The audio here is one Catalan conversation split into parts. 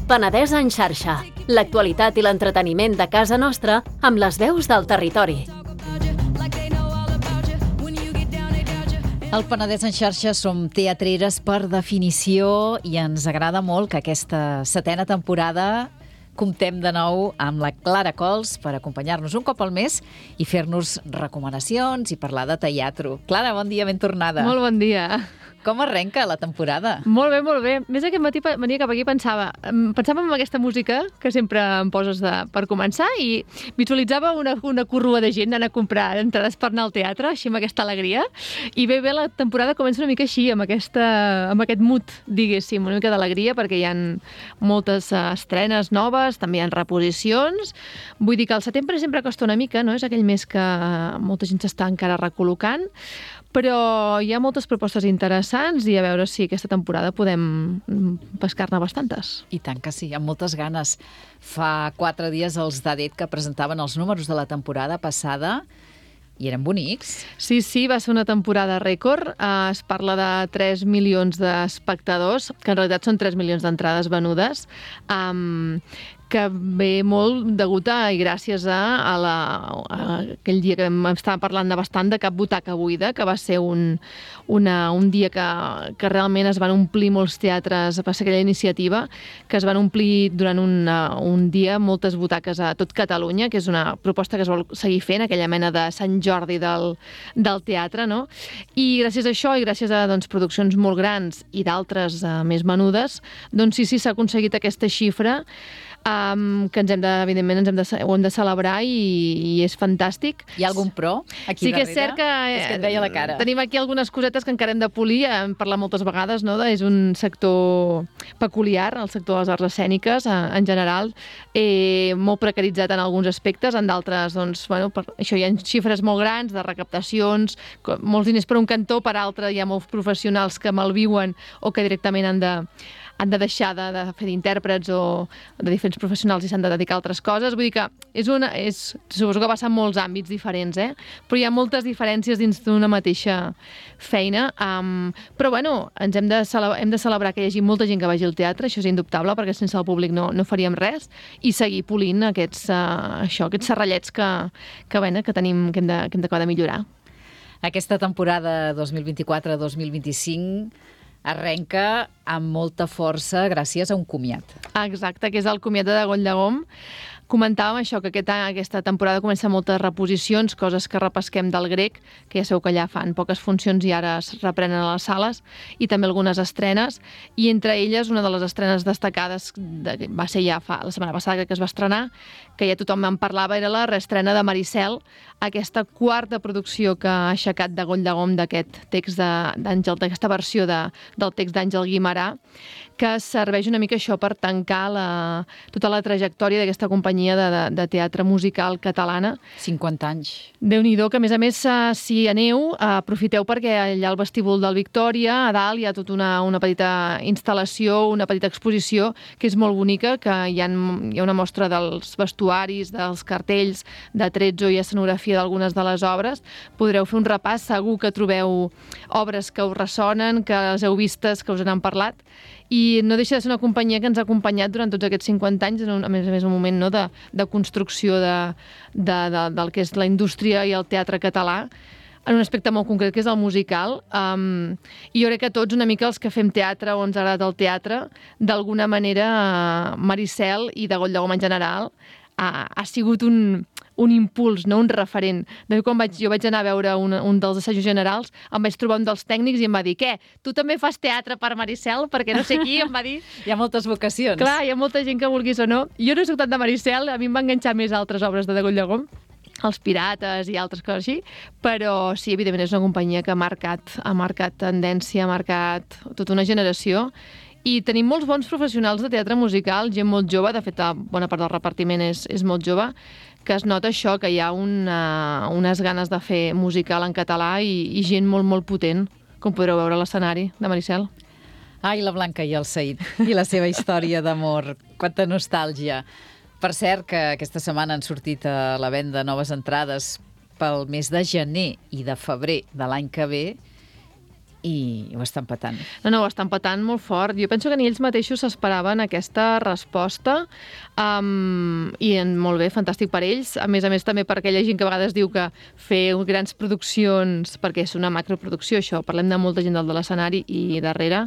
Penedès en xarxa. L'actualitat i l'entreteniment de casa nostra amb les veus del territori. Al Penedès en xarxa som teatreres per definició i ens agrada molt que aquesta 7a temporada comptem de nou amb la Clara Cols per acompanyar-nos un cop al mes i fer-nos recomanacions i parlar de teatre. Clara, bon dia, ben tornada. Molt bon dia. Com arrenca la temporada? Molt bé, molt bé. Més aquest matí venia cap aquí i pensava en aquesta música que sempre em poses per començar i visualitzava una corrua de gent anant a comprar entrades per anar al teatre, així amb aquesta alegria. I bé, la temporada comença una mica així, amb aquest mood, diguéssim, una mica d'alegria, perquè hi ha moltes estrenes noves, també hi ha reposicions. Vull dir que el setembre sempre costa una mica, no? És aquell mes que molta gent s'està encara recol·locant, però hi ha moltes propostes interessants i a veure si aquesta temporada podem pescar-ne bastantes. I tant que sí, amb moltes ganes. Fa 4 dies els d'ADET que presentaven els números de la temporada passada i eren bonics. Sí, va ser una temporada rècord. Es parla de 3 milions d'espectadors, que en realitat són 3 milions d'entrades venudes, que ve molt degut i gràcies a aquell dia que estàvem parlant bastant de Cap butaca buida, que va ser un dia que realment es van omplir molts teatres, va ser aquella iniciativa que es van omplir durant un dia moltes butaques a tot Catalunya, que és una proposta que es vol seguir fent, aquella mena de Sant Jordi del teatre, no? I gràcies a això i gràcies a produccions molt grans i d'altres més menudes, doncs sí, s'ha aconseguit aquesta xifra que evidentment ho hem de celebrar i és fantàstic. Hi ha algun pro aquí darrere? Sí que és cert que, és que et veia la cara. Tenim aquí algunes cosetes que encara hem de polir, hem parlat moltes vegades, no? És un sector peculiar, el sector de les arts escèniques en general, molt precaritzat en alguns aspectes, en d'altres, per això hi ha xifres molt grans de recaptacions, molts diners per un cantó, per altre hi ha molts professionals que malviuen o que directament han de deixar de fer d'intèrprets o de diferents professionals i s'han de dedicar a altres coses. Vull dir que suposo que passa en molts àmbits diferents, però hi ha moltes diferències dins d'una mateixa feina. Però ens hem de celebrar que hi hagi molta gent que vagi al teatre, això és indubtable, perquè sense el públic no faríem res, i seguir polint aquests serrallets que tenim, que hem d'acabar de millorar. Aquesta temporada 2024-2025 arrenca amb molta força gràcies a un comiat. Exacte, que és el comiat de Goll de Gom. Comentàvem això, que aquesta temporada comença amb moltes reposicions, coses que repesquem del grec, que ja sabeu que allà fan poques funcions i ara es reprenen a les sales, i també algunes estrenes, i entre elles una de les estrenes destacades va ser ja la setmana passada que es va estrenar, que ja tothom en parlava, era la reestrena de Maricel, aquesta quarta producció que ha aixecat de Goll de Gom d'aquest text d'Àngel, d'aquesta versió del text d'Àngel Guimerà, que serveix una mica això per tancar tota la trajectòria d'aquesta companyia de teatre musical catalana. 50 anys. Déu-n'hi-do, que a més, si aneu, aprofiteu perquè allà al vestíbul del Victòria, a dalt hi ha tota una petita instal·lació, una petita exposició, que és molt bonica, que hi ha una mostra dels vestuaris, dels cartells, de tretzo i escenografia d'algunes de les obres. Podreu fer un repàs, segur que trobeu obres que us ressonen, que les heu vistes, que us n'han parlat, i no deixa de ser una companyia que ens ha acompanyat durant tots aquests 50 anys, a més un moment de construcció del que és la indústria i el teatre català, en un aspecte molt concret, que és el musical. I jo crec que tots, una mica els que fem teatre o ens ha agradat el teatre, d'alguna manera Maricel i de Goll de Gom en general ha sigut un impuls, no un referent. De fet, quan jo vaig anar a veure un dels assajos generals, em vaig trobar un dels tècnics i em va dir: què, tu també fas teatre per Maricel? Perquè no sé qui, em va dir... Hi ha moltes vocacions. Clar, hi ha molta gent que vulguis o no. Jo no soc tant de Maricel, a mi em va enganxar més altres obres de Goll de Gom, Els Pirates i altres coses així, però sí, evidentment és una companyia que ha marcat tendència, ha marcat tota una generació. I tenim molts bons professionals de teatre musical, gent molt jove, de fet, bona part del repartiment és molt jove, que es nota això, que hi ha unes ganes de fer musical en català i gent molt, molt potent, com podreu veure a l'escenari de Maricel. Ai, la Blanca i el Saïd, i la seva història d'amor, quanta nostàlgia. Per cert, que aquesta setmana han sortit a la venda noves entrades pel mes de gener i de febrer de l'any que ve, i ho estan patant. No, ho estan patant molt fort. Jo penso que ni ells mateixos s'esperaven aquesta resposta i molt bé, fantàstic per ells. A més també per aquella gent que a vegades diu que fer grans produccions, perquè és una macroproducció, això, parlem de molta gent del de l'escenari i darrere,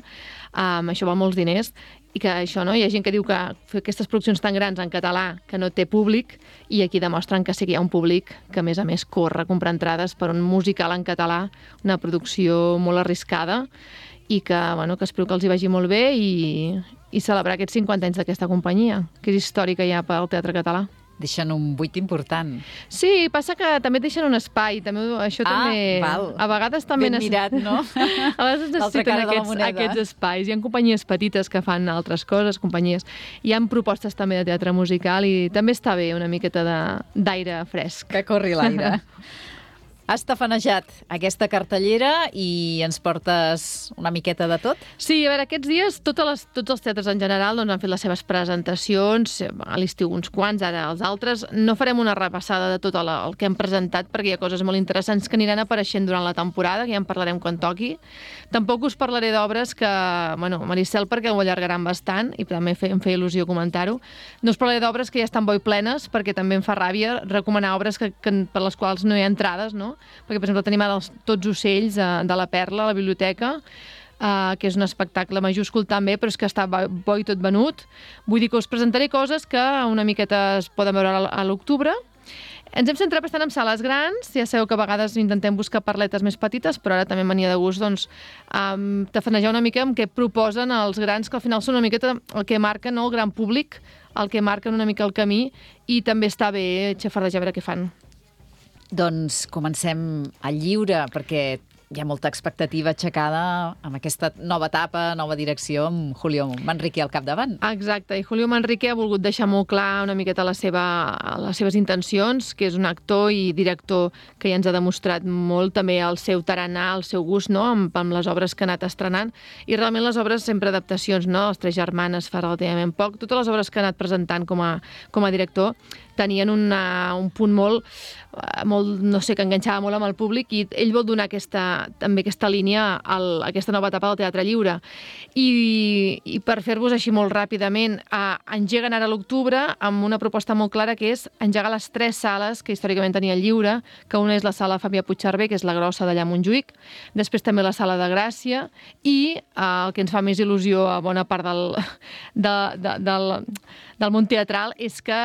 això val molts diners, i que això, no? Hi ha gent que diu que fer aquestes produccions tan grans en català que no té públic, i aquí demostren que sí que hi ha un públic que a més corre a comprar entrades per un musical en català, una producció molt arriscada, i que espero que els hi vagi molt bé i celebrar aquests 50 anys d'aquesta companyia, que és històrica ja pel teatre català. Deixen un buit important. Sí, passa que també et deixen un espai. Això també... Val. A vegades també... Ben mirat, no? A vegades necessiten aquests espais. Hi ha companyies petites que fan altres coses, hi ha propostes també de teatre musical i també està bé una miqueta d'aire fresc. Que corri l'aire. Has tafanejat aquesta cartellera i ens portes una miqueta de tot? Sí, a veure, aquests dies tots els teatres en general han fet les seves presentacions, a l'estiu uns quants, ara els altres. No farem una repassada de tot el que hem presentat perquè hi ha coses molt interessants que aniran apareixent durant la temporada, que ja en parlarem quan toqui. Tampoc us parlaré d'obres que, Maricel, perquè ho allargaran bastant i també em feia il·lusió comentar-ho. No us parlaré d'obres que ja estan boi plenes perquè també em fa ràbia recomanar obres per les quals no hi ha entrades, no? Perquè, per exemple, tenim ara Tots ocells de la Perla a la biblioteca, que és un espectacle majúscul també, però és que està bo i tot venut. Vull dir que us presentaré coses que una miqueta es poden veure a l'octubre. Ens hem centrat bastant en sales grans, ja sabeu que a vegades intentem buscar parletes més petites, però ara també venia de gust tafanejar una mica amb què proposen els grans, que al final són una miqueta el que marquen, no? El gran públic, el que marquen una mica el camí, i també està bé xafardejar a veure què fan. Doncs comencem al lliure, perquè hi ha molta expectativa aixecada amb aquesta nova etapa, nova direcció, amb Julio Manrique al capdavant. Exacte, i Julio Manrique ha volgut deixar molt clar una miqueta les seves intencions, que és un actor i director que ja ens ha demostrat molt també el seu tarannà, el seu gust, no? amb les obres que ha anat estrenant, i realment les obres sempre adaptacions, no? Les Tres germanes fa relativament poc, totes les obres que ha anat presentant com a director tenien un punt molt, no sé, que enganxava molt amb el públic, i ell vol donar també aquesta línia a aquesta nova etapa del teatre lliure. I per fer-vos així molt ràpidament, engeguen ara a l'octubre amb una proposta molt clara, que és engegar les 3 sales que històricament tenia el lliure, que una és la sala Fabià Puigcerver, que és la grossa d'allà a Montjuïc, després també la sala de Gràcia, i el que ens fa més il·lusió a bona part del món teatral és que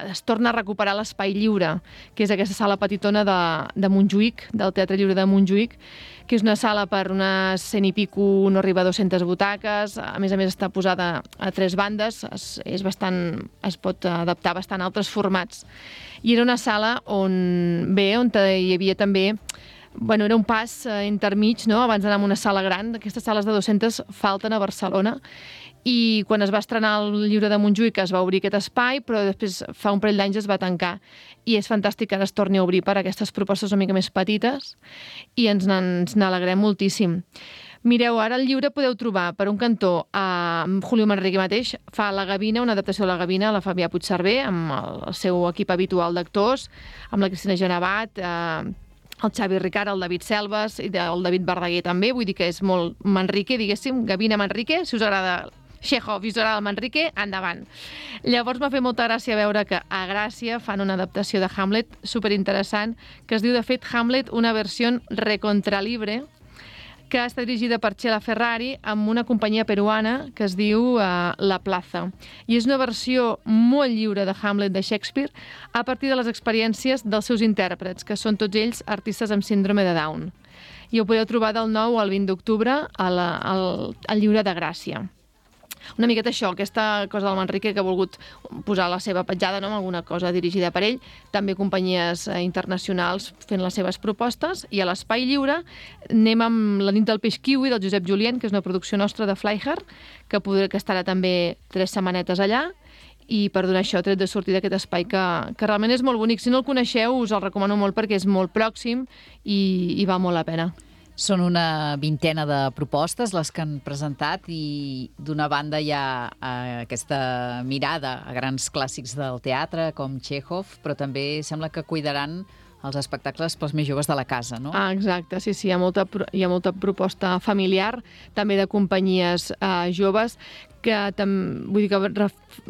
es torna a recuperar l'Espai Lliure, que és aquesta sala petitona de Montjuïc, del Teatre Lliure de Montjuïc, que és una sala per unes 100 i pico, no arriba a 200 butaques, a més està posada a 3 bandes, es pot adaptar bastant a altres formats. I era una sala on hi havia també era un pas intermig, no? Abans d'anar a una sala gran. Aquestes sales de 200 falten a Barcelona, i quan es va estrenar el Lliure de Montjuïc es va obrir aquest espai, però després fa un parell d'anys es va tancar, i és fantàstic que ara es torni a obrir per aquestes propostes una mica més petites, i ens n'alegrem moltíssim. Mireu, ara al lliure podeu trobar, per un cantó, Julio Manrique mateix fa La Gavina, una adaptació de La Gavina, a la Fabià Puigcerver, amb el seu equip habitual d'actors, amb la Cristina Genevat, el Xavi Ricard, el David Selves i el David Verdaguer també, vull dir que és molt Manrique, diguéssim, Gavina Manrique, si us agrada Chekhov i us agrada el Manrique, endavant. Llavors m'ha fet molta gràcia veure que a Gràcia fan una adaptació de Hamlet superinteressant, que es diu, de fet, Hamlet, una versió recontralibre, que està dirigida per Chela Ferrari amb una companyia peruana que es diu La Plaza. I és una versió molt lliure de Hamlet de Shakespeare a partir de les experiències dels seus intèrprets, que són tots ells artistes amb síndrome de Down. I ho podeu trobar del 9 al 20 d'octubre al Lliure de Gràcia. Una miqueta això, aquesta cosa del Manrique, que ha volgut posar la seva petjada, no?, amb alguna cosa dirigida per ell, també companyies internacionals fent les seves propostes, i a l'Espai Lliure anem amb La nit del peix kiwi del Josep Julien, que és una producció nostra de Flyher, que estarà també 3 setmanetes allà, i per donar això tret de sortir d'aquest espai que realment és molt bonic. Si no el coneixeu, us el recomano molt perquè és molt pròxim i val molt la pena. Són una vintena de propostes les que han presentat, i d'una banda hi ha aquesta mirada a grans clàssics del teatre com Chekhov, però també sembla que cuidaran els espectacles pels més joves de la casa, no? Ah, exacte, sí, hi ha molta proposta familiar, també de companyies joves, que vull dir que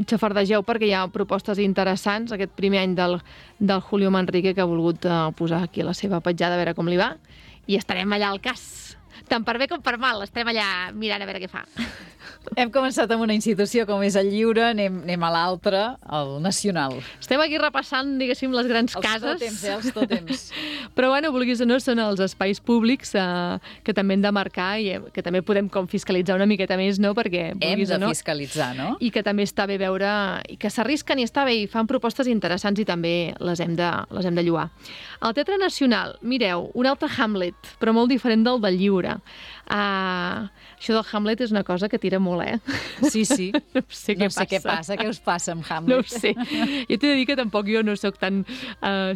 xafardegeu perquè hi ha propostes interessants. Aquest primer any del Julio Manrique, que ha volgut posar aquí la seva petjada, a veure com li va, i estarem allà al cas. Tant per bé com per mal, estarem allà mirant a veure què fa. Hem començat amb una institució com és el Lliure, anem a l'altra, el Nacional. Estem aquí repassant, diguéssim, les grans cases. Els tòtems. Però, bueno, vulguis o no, són els espais públics que també hem de marcar i que també podem com fiscalitzar una miqueta més, no? Perquè, vulguis o no, fiscalitzar, no? I que també està bé veure, i que s'arrisquen i està bé, i fan propostes interessants i també les hem de lloar. Al Teatre Nacional, mireu, un altre Hamlet, però molt diferent del Lliure. Això del Hamlet és una cosa que tira molt, Sí. No sé què passa. Què us passa amb Hamlet? No ho sé. Jo t'he de dir que tampoc jo no sóc tan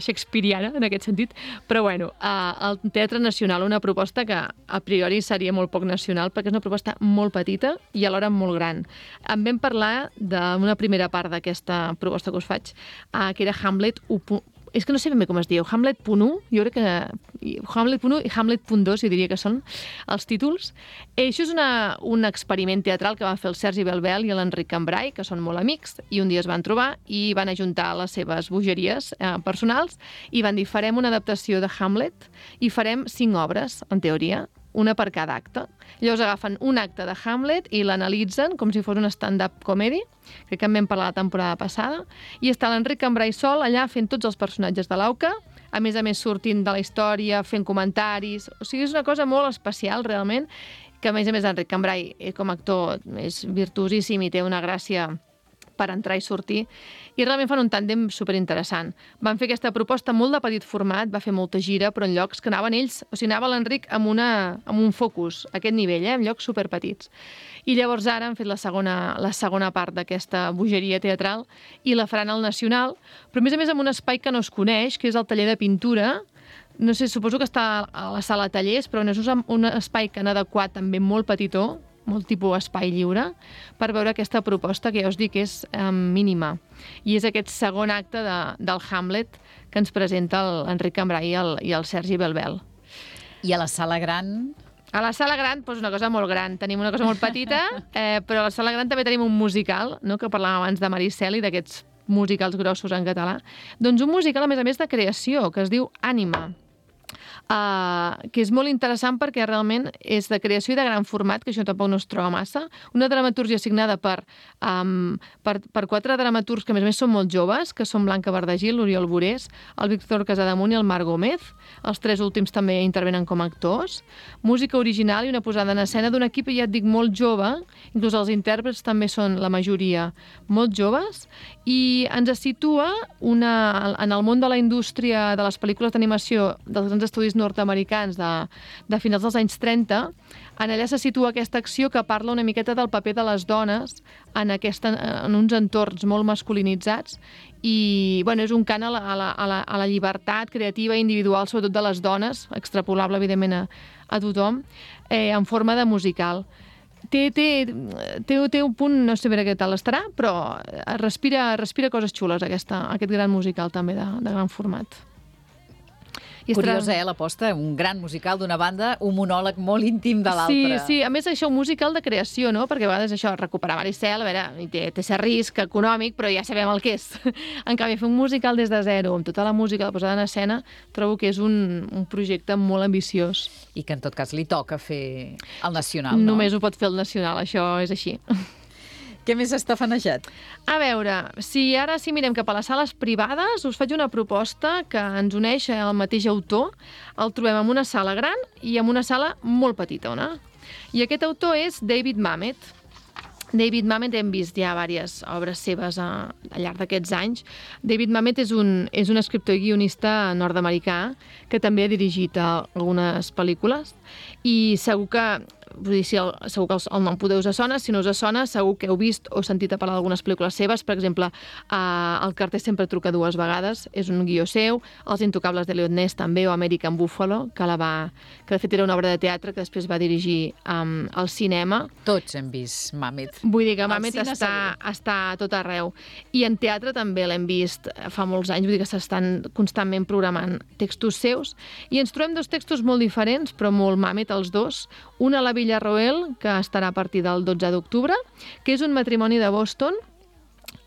shakespeariana en aquest sentit, però bueno, al Teatre Nacional una proposta que a priori seria molt poc nacional perquè és una proposta molt petita i alhora molt gran. En vam parlar d'una primera part d'aquesta proposta que us faig, que era Hamlet 1. És que no sé ben bé com es diu, Hamlet.1, jo crec que Hamlet.1 i Hamlet.2, jo diria que són els títols. Això és un experiment teatral que van fer el Sergi Belbel i l'Enric Cambrai, que són molt amics, i un dia es van trobar i van ajuntar les seves bogeries personals i van dir, farem una adaptació de Hamlet i farem 5 obres, en teoria, una per cada acte. Llavors agafen un acte de Hamlet i l'analitzen com si fos un stand-up comedy, crec que en vam parlar la temporada passada, i està l'Enric Cambrai sol allà fent tots els personatges de l'auca, a més sortint de la història, fent comentaris. O sigui, és una cosa molt especial, realment, que a més Enric Cambrai, com a actor, és virtuosíssim i té una gràcia per entrar i sortir, i realment fan un tàndem superinteressant. Van fer aquesta proposta molt de petit format, va fer molta gira, però en llocs que anaven ells, o sigui, anava l'Enric amb un focus, a aquest nivell, en llocs superpetits. I llavors ara han fet la segona part d'aquesta bogeria teatral i la faran al Nacional, però a més amb un espai que no es coneix, que és el taller de pintura. No sé, suposo que està a la sala tallers, però no és un espai que han adequat també molt petitó, molt tipus espai lliure, per veure aquesta proposta que ja us dic és mínima. I és aquest segon acte del Hamlet que ens presenta l'Enric Cambrai i el Sergi Belbel. I a la sala gran? A la sala gran, doncs una cosa molt gran. Tenim una cosa molt petita, però a la sala gran també tenim un musical, no?, que parlàvem abans de Maricel i d'aquests musicals grossos en català. Doncs un musical, a més de creació, que es diu Ànima, que és molt interessant perquè realment és de creació i de gran format, que això tampoc no es troba massa. Una dramaturgia signada per 4 dramaturgs que a més són molt joves, que són Blanca Verdagil, l'Oriol Borés, el Víctor Casademunt i el Marc Gómez. Els 3 últims també intervenen com a actors. Música original i una posada en escena d'un equip, ja et dic, molt jove, inclús els intèrprets també són la majoria molt joves, i ens situa en el món de la indústria de les pel·lícules d'animació dels grans estudis nord-americans de finals dels anys 30. En allà se situa aquesta acció que parla una miqueta del paper de les dones en uns entorns molt masculinitzats i és un cant a la llibertat creativa i individual, sobretot de les dones, extrapolable evidentment a tothom, en forma de musical. Té un punt, no sé bé què tal estarà, però respira coses xules aquest gran musical també de gran format. Curiosa, l'aposta, un gran musical d'una banda, un monòleg molt íntim de l'altra. Sí, a més això, un musical de creació, no? Perquè a vegades això, recuperar Maricel, a veure, té cert risc econòmic, però ja sabem el que és. En canvi, fer un musical des de zero, amb tota la música, la posada en escena, trobo que és un projecte molt ambiciós. I que en tot cas li toca fer el Nacional, no? Només ho pot fer el Nacional, això és així. Què més està fanejat? A veure, si mirem cap a les sales privades, us faig una proposta que ens uneix al mateix autor. El trobem en una sala gran i en una sala molt petitona. I aquest autor és David Mamet. David Mamet, hem vist ja diverses obres seves al llarg d'aquests anys. David Mamet és un escriptor i guionista nord-americà que també ha dirigit algunes pel·lícules i segur que vull dir, segur que el nom podeu us sona, si no us sona, segur que heu vist o sentit a parlar d'algunes pel·lícules seves, per exemple, El carter sempre truca 2 vegades, és un guió seu, Els intocables d'Eliot Ness també, o American Buffalo, que de fet era una obra de teatre que després va dirigir al cinema. Tots hem vist Mamet. Vull dir que Mamet està a tot arreu. I en teatre també l'hem vist fa molts anys, vull dir que s'estan constantment programant textos seus, i ens trobem 2 textos molt diferents, però molt Mamet els dos. Un a la Villarroel, que estarà a partir del 12 d'octubre, que és un matrimoni de Boston,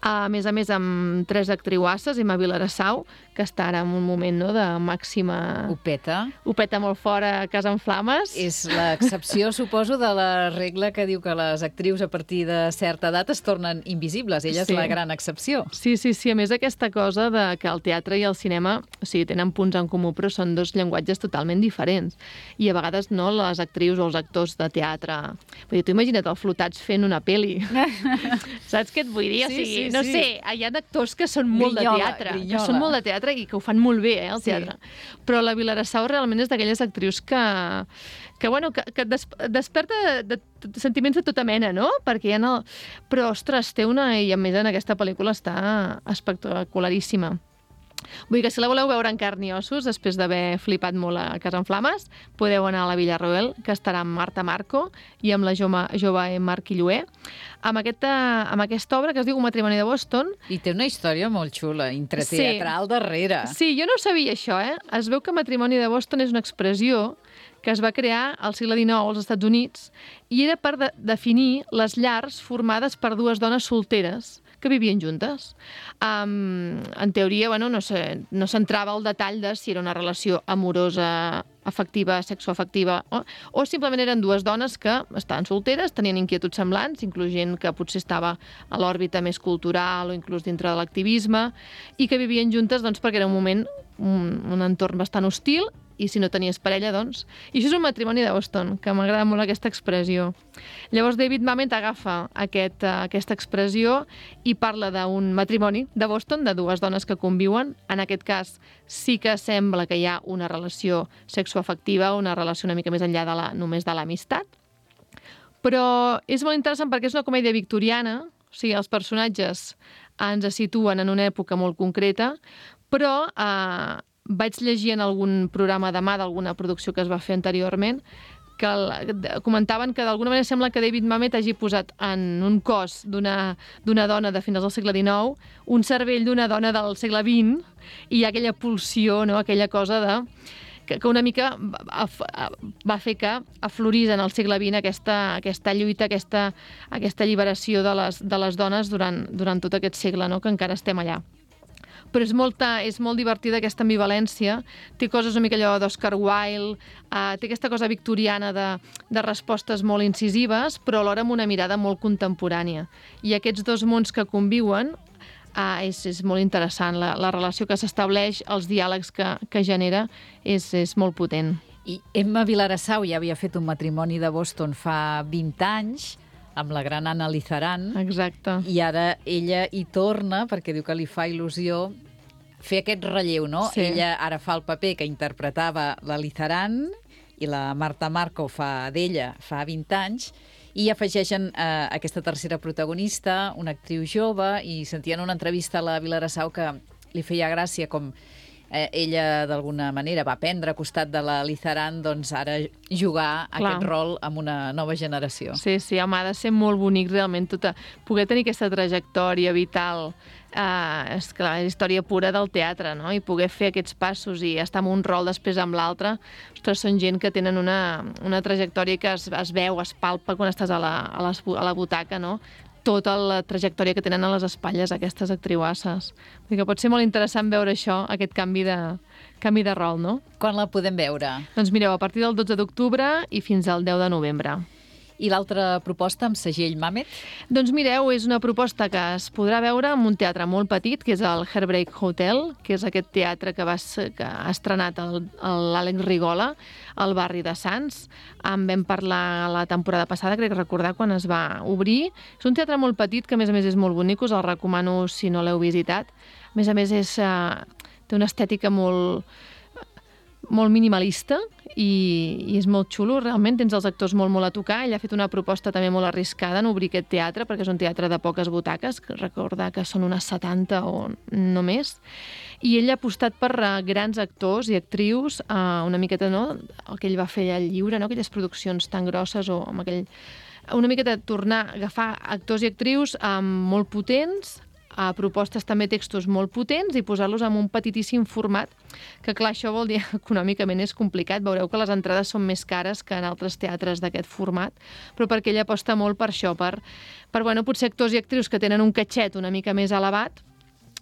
a més, amb 3 actriuasses, Emma Vilarassau, que està ara en un moment de màxima... Ho peta. Ho peta molt fora a Casa en Flames. És l'excepció, suposo, de la regla que diu que les actrius a partir de certa edat es tornen invisibles. Ella és la gran excepció. Sí. A més, aquesta cosa de que el teatre i el cinema, o sigui, tenen punts en comú, però són 2 llenguatges totalment diferents. I a vegades no les actrius o els actors de teatre... Vull dir, tu imagina't el Flotats fent una pel·li. Saps què et vull dir? O sigui, no sé, hi ha actors que són molt de teatre, i que ho fan molt bé, el teatre. Però la Vilarassau realment és d'aquelles actrius que desperta sentiments de tota mena, no? Perquè però, ostres, té i a més en aquesta pel·lícula està espectacularíssima. Vull dir que si la voleu veure en carn i ossos, després d'haver flipat molt a Casa en Flames, podeu anar a la Villarroel, que estarà amb Marta Marco i amb la jove Marc Illué, amb aquesta obra que es diu Un matrimoni de Boston. I té una història molt xula, intrateatral darrere. Sí, jo no sabia això, Es veu que Matrimoni de Boston és una expressió que es va crear al segle XIX als Estats Units i era per definir les llars formades per 2 dones solteres que vivien juntes. En teoria, no s'entrava al detall de si era una relació amorosa, afectiva, sexoafectiva, o simplement eren 2 dones que estaven solteres, tenien inquietuds semblants, inclús gent que potser estava a l'òrbita més cultural o inclús dintre de l'activisme, i que vivien juntes perquè era un moment, un entorn bastant hostil, i si no tenies parella, doncs... I això és un matrimoni de Boston, que m'agrada molt aquesta expressió. Llavors David Mamet agafa aquesta expressió i parla d'un matrimoni de Boston, de 2 dones que conviuen. En aquest cas sí que sembla que hi ha una relació sexoafectiva, una relació una mica més enllà només de l'amistat. Però és molt interessant perquè és una comèdia victoriana, o sigui, els personatges ens situen en una època molt concreta, però vaig llegir en algun programa de mà d'alguna producció que es va fer anteriorment que comentaven que d'alguna manera sembla que David Mamet hagi posat en un cos d'una dona de finals del segle XIX un cervell d'una dona del segle XX i hi ha aquella pulsió, no? Aquella cosa que una mica va fer que aflorís en el segle XX aquesta lluita, aquesta alliberació de les dones durant tot aquest segle, no? Que encara estem allà. Però és molt divertida aquesta ambivalència, té coses una mica allò d'Oscar Wilde, té aquesta cosa victoriana de respostes molt incisives, però alhora amb una mirada molt contemporània. I aquests 2 mons que conviuen és molt interessant, la relació que s'estableix, els diàlegs que genera, és molt potent. I Emma Vilarassau ja havia fet Un matrimoni de Boston fa 20 anys, amb la gran Anna Lizaran. Exacte. I ara ella hi torna perquè diu que li fa il·lusió fer aquest relleu, no? Sí. Ella ara fa el paper que interpretava la Lizaran i la Marta Marco fa d'ella fa 20 anys i afegeixen aquesta tercera protagonista, una actriu jove, i sentien una entrevista a la Vilarassau que li feia gràcia com ella d'alguna manera va aprendre a costat de la Lizaran ara jugar aquest rol amb una nova generació. Sí, home, ha de ser molt bonic realment poder tenir aquesta trajectòria vital, és clar, la història pura del teatre, no? I poder fer aquests passos i estar en un rol després amb l'altre. Ostres, són gent que tenen una trajectòria que es veu, es palpa quan estàs a la butaca, no? Tota la trajectòria que tenen a les espatlles aquestes actriuasses. Que pot ser molt interessant veure això, aquest canvi de rol, no? Quan la podem veure? Doncs mireu, a partir del 12 d'octubre i fins al 10 de novembre. I l'altra proposta amb segell Mamet? Doncs mireu, és una proposta que es podrà veure en un teatre molt petit, que és el Heartbreak Hotel, que és aquest teatre que ha estrenat l'Àlex Rigola al barri de Sants. En vam parlar la temporada passada, crec recordar, quan es va obrir. És un teatre molt petit, que a més és molt bonic, us el recomano si no l'heu visitat. A més, té una estètica molt molt minimalista i és molt xulo, realment. Tens els actors molt a tocar. Ell ha fet una proposta també molt arriscada en obrir aquest teatre, perquè és un teatre de poques butaques, que recordar que són unes 70 o no més. I ell ha apostat per grans actors i actrius, una miqueta, no?, el que ell va fer al Lliure, no?, aquelles produccions tan grosses, o amb aquell... Una miqueta tornar a agafar actors i actrius molt potents, a propostes també textos molt potents i posar-los en un petitíssim format, que clar, això vol dir econòmicament és complicat. Veureu que les entrades són més cares que en altres teatres d'aquest format, però perquè ell aposta molt per això, per bueno, potser actors i actrius que tenen un catxet una mica més elevat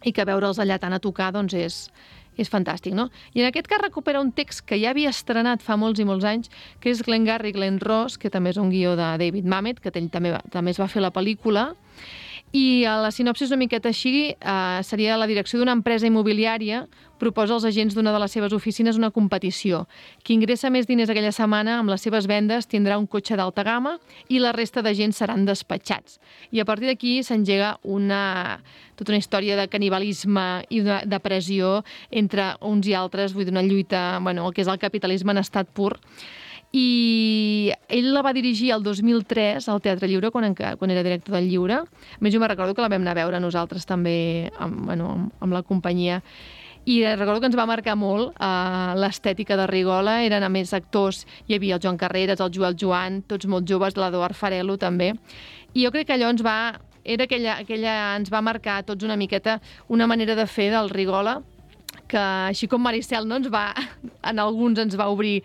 i que veure'ls allà tant a tocar doncs és fantàstic, no? I en aquest cas recupera un text que ja havia estrenat fa molts i molts anys, que és Glengarry Glen Ross, que també és un guió de David Mamet, que ell també es va fer la pel·lícula. I la sinopsi una miqueta així, seria la direcció d'una empresa immobiliària proposa als agents d'una de les seves oficines una competició. Qui ingressa més diners aquella setmana amb les seves vendes tindrà un cotxe d'alta gamma i la resta d'agents seran despatxats. I a partir d'aquí s'engega tota una història de canibalisme i de pressió entre uns i altres, vull dir, una lluita, bueno, el que és el capitalisme en estat pur. I ell la va dirigir el 2003 al Teatre Lliure, quan era director del Lliure. A més, jo me recordo que la vam anar a veure nosaltres també amb la companyia. I recordo que ens va marcar molt l'estètica de Rigola. Eren, a més, actors. Hi havia el Joan Carreras, el Joel Joan, tots molt joves, l'Eduard Farelo també. I jo crec que allò ens va marcar a tots una miqueta una manera de fer del Rigola, que així com Maricel, no, en alguns ens va obrir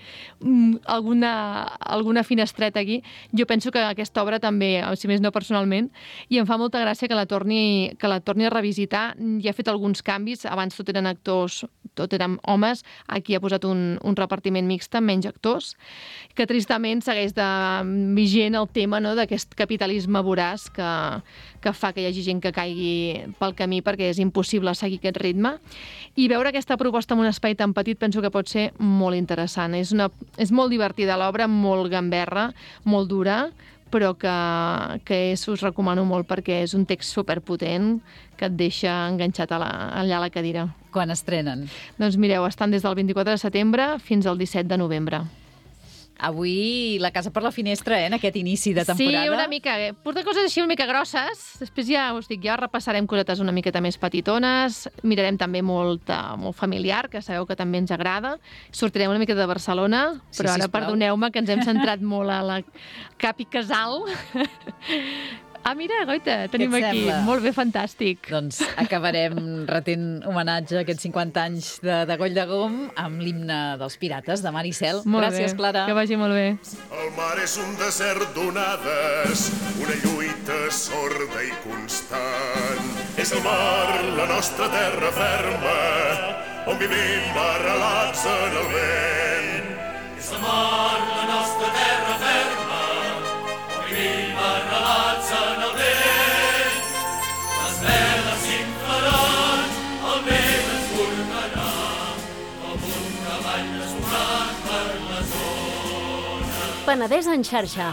alguna finestreta aquí. Jo penso que aquesta obra també, si més no personalment, i em fa molta gràcia que la torni a revisitar. Ja ha fet alguns canvis, abans tot eren actors, tot eren homes, aquí ha posat un repartiment mixt amb menys actors, que tristament segueix vigent el tema, no, d'aquest capitalisme voraç que fa que hi hagi gent que caigui pel camí perquè és impossible seguir aquest ritme. I veure aquesta proposta en un espai tan petit penso que pot ser molt interessant. És molt divertida l'obra, molt gamberra, molt dura, però que us recomano molt perquè és un text superpotent que et deixa enganxat allà a la cadira. Quan estrenen? Doncs mireu, estan des del 24 de setembre fins al 17 de novembre. Avui la casa per la finestra, en aquest inici de temporada. Sí, una mica. Porta coses així una mica grosses. Després ja us dic, ja repassarem cosetes una miqueta més petitones. Mirarem també molt familiar, que sabeu que també ens agrada. Sortirem una miqueta de Barcelona, però ara perdoneu-me que ens hem centrat molt a la Cap i Casal. Ah, mira, goita, tenim aquí. Molt bé, fantàstic. Doncs acabarem retent homenatge a aquests 50 anys de Goll de Gom amb l'himne dels pirates de Maricel. Gràcies, Clara. Que vagi molt bé. El mar és un desert d'onades, una lluita sorda i constant. És el mar, la nostra terra ferma, on vivim arrelats en el vent. És el mar, la nostra terra ferma, on vivim arrelats en el vent. Les veles s'inflaran, el vent ens formarà, com un cavall desbocat per les ones. Penedès en xarxa,